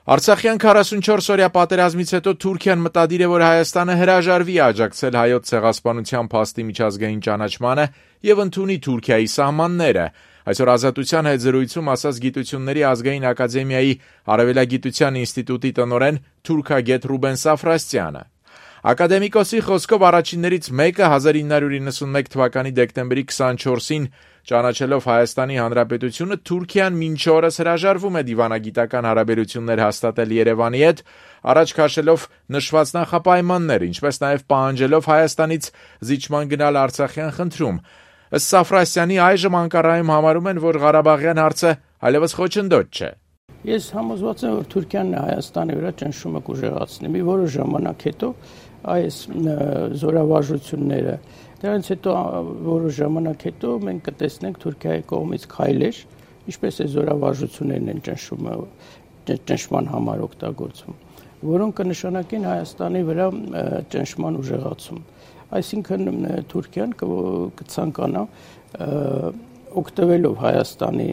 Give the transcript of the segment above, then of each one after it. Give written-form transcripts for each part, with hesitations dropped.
Արցախյան 44-օրյա պատերազմից հետո Թուրքիան մտադիր է, որ Հայաստանը հրաժարվի աջակցել հայոց ցեղասպանության փաստի միջազգային ճանաչմանը եւ ընդունի Թուրքիայի սահմանները։ Այսօր Ազատության հետ զրույցում ասաց Գիտությունների ազգային ակադեմիայի Արևելագիտության ինստիտուտի տնօրեն թուրքագետ Ռուբեն Սաֆրասյանը։ Ակադեմիկոսի խոսքով առաջիններից մեկը 1991 թվականի դեկտեմբերի 24-ին ճանաչելով Հայաստանի Հանրապետությունը Թուրքիան մինչ օրս հրաժարվում է դիվանագիտական հարաբերություններ հաստատել Երևանի հետ, առաջ քաշելով նշված նախապայմաններ, ինչպես նաև պահանջելով Հայաստանից զիջման գնալ Արցախյան խնդրում։ Ըստ Սաֆրասյանի այժմ Անկարայում համարում են, որ Ղարաբաղյան հարցը այլևս խոչընդոտ չէ։ Ես համոզված եմ, որ Թուրքիան Հայաստանի վրա ճնշումը կուժեղացնի։ Մի որոշ ժամանակ հետո այս զորավարժությունները, դրանից հետո որոշ ժամանակ հետո մենք կտեսնենք Թուրքիայի կողմից քայլեր, ինչպես է զորավարժություններն են ճնշման համար օգտագործվում, որոնք կնշանակեն Հայաստանի վրա ճնշման ուժեղացում։ Այսինքն Թուրքիան կցանկանա օգտվելով Հայաստանի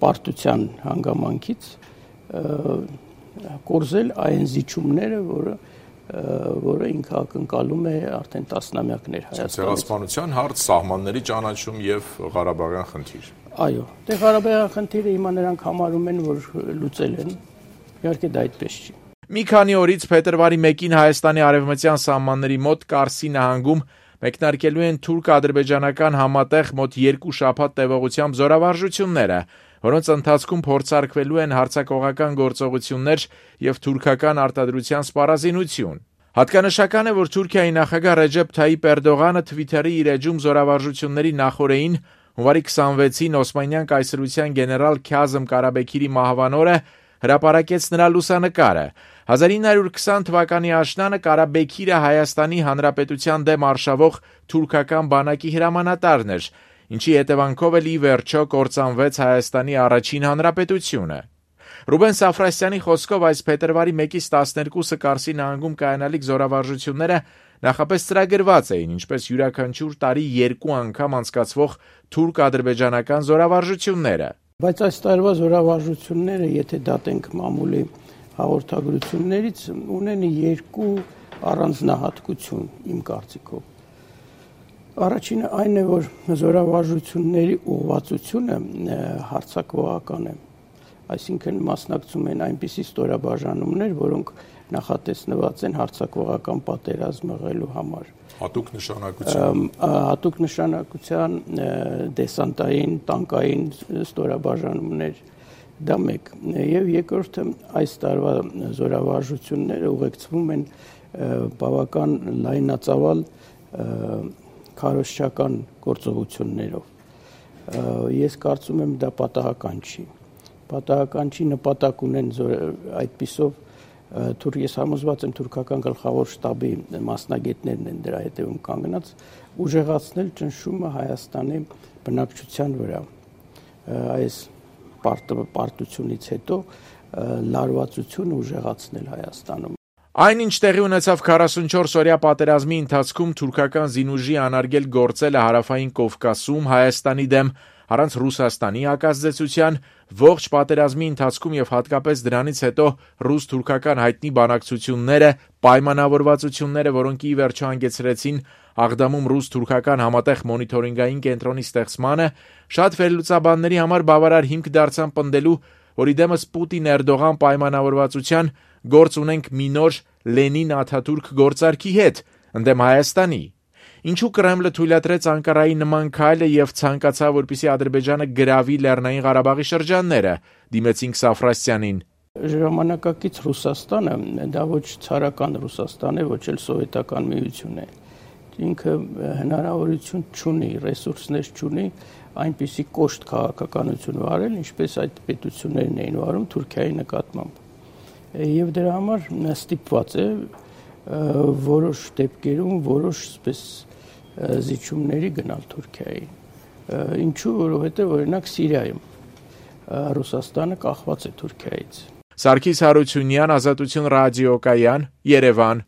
պարտության հանգամանքից կորզել այն զիջումները, որը ինքը ակնկալում է արդեն տասնամյակներ Հայաստանից։ Ցեղասպանության հարց, սահմանների ճանաչում եւ Ղարաբաղյան խնդիր։ Այո, դե Ղարաբաղյան խնդիրը հիմա նրանք համարում են, որ լուծել են։ Իհարկե դա այդպես չի։ Մի քանի օրից փետրվարի 1-ին Հայաստանի արևմտյան սահմանների մոտ Կարսի նահանգում մեկնարկելու են թուրք-ադրբեջանական համատեղ մոտ 2 շաբաթ տևողությամբ զորավարժությունները, որոնց ընթացքում փորձարկվելու են հարձակողական գործողություններ եւ թուրքական արտադրության սպառազինություն։ Հատկանշական է, որ Թուրքիայի նախագահ Ռեջեփ Թայիպ Էրդողանը Թվիթերի իր էջում զորավարժությունների նախօրեին հունվարի 26-ին Օսմանյան կայսրության գեներալ Քազմ Կարաբեքիրի մահվան օրը հրապարակեց նրա լուսանկարը։ 1920 թվականի աշնանը Կարաբեքիրը Հայաստանի Հանրապետության դեմ արշավող թուրքական բանակի հրամանատարն էր, ինչի հետևանքով էլ ի վերջո կործանվեց Հայաստանի առաջին հանրապետությունը։ Ռուբեն Սաֆրասյանի խոսքով այս փետրվարի 1-ից 12-ը Կարսի նահանգում կայանալիք զորավարժությունները նախապես ծրագրված էին, ինչպես յուրաքանչյուր տարի 2 անգամ անցկացվող թուրք-ադրբեջանական զորավարժությունները։ Բայց այս տարվա զորավարժությունները, եթե դատենք մամուլի հաղորդագրություններից, ունեն 2 առանձնահատկություն իմ կարծիքով։ Առաջինը այն է, որ զորավարժությունների ուղղվածությունը հարձակողական է, այսինքն մասնակցում են այնպիսի ստորաբաժանումներ, որոնք նախատեսնված են հարձակողական պատերազմ մղելու համար։ Հատուկ նշանակության։ Հատուկ նշանակության դեսանտային, տանկային ստորաբաժանումներ, դա մեկ։ Եվ երկրորդը, այս տարվա զորավարժությունները ուղեկցվում են բավական լայնածավալ քարոզչական գործողություններով։ Ես կարծում եմ դա պատահական չի։ Պատահական չի, նպատակ ունեն այդպիսով ես համոզված եմ թուրքական գլխավոր շտաբի մասնագետներն են դրա հետևում կանգնած ուժեղացնել ճնշումը Հայաստանի բնակչության վրա։ Այս պարտությունից հետո լարվածությունը ուժեղացնել Հայաստանում։ Այնինչ տեղի ունեցավ 44-օրյա պատերազմի ընթացքում թուրքական զինուժի անարգել գործելը Հարավային Կովկասում Հայաստանի դեմ առանց Ռուսաստանի հակազդեցության, ողջ պատերազմի ընթացքում եւ հատկապես դրանից հետո ռուս-թուրքական հայտնի բանակցությունները, պայմանավորվածությունները, որոնք ի վերջո հանգեցրեցին Աղդամում ռուս-թուրքական համատեղ մոնիթորինգային կենտրոնի ստեղծմանը, շատ վերլուծաբանների համար բավարար հիմք դարձան պնդելու, որ իդեմս Պուտին-Էրդողան պայմանավորվածության գործ ունենք մի նոր Լենին-Աթաթուրք գործարքի հետ, ընդդեմ Հայաստանի։ Ինչու Կրեմլը թույլատրեց Անկարայի նման քայլը եւ ցանկացավ, որպեսզի Ադրբեջանը գրավի Լեռնային Ղարաբաղի շրջանները, դիմեցինք Սաֆրասյանին։ Ժամանակակից Ռուսաստանը դա ոչ ցարական Ռուսաստան է, ոչ էլ սովետական միություն է։ Ինքը հնարավորություն չունի, ռեսուրսներ չունի այնպիսի կոշտ քաղաքականություն վարել, ինչպես այդ պետություններն էին վարում Թուրքիայի նկատմամբ։ Եվ դրա համար ստիպված է որոշ դեպքերում որոշ սպես զիջումների գնալ Թուրքիայի։ Ինչու, որովհետև օրինակ Սիրիայում Ռուսաստանը կախված է Թուրքիայից։ Սարգիս Հարությունյան, Ազատություն ռադիոկայան, Երևան։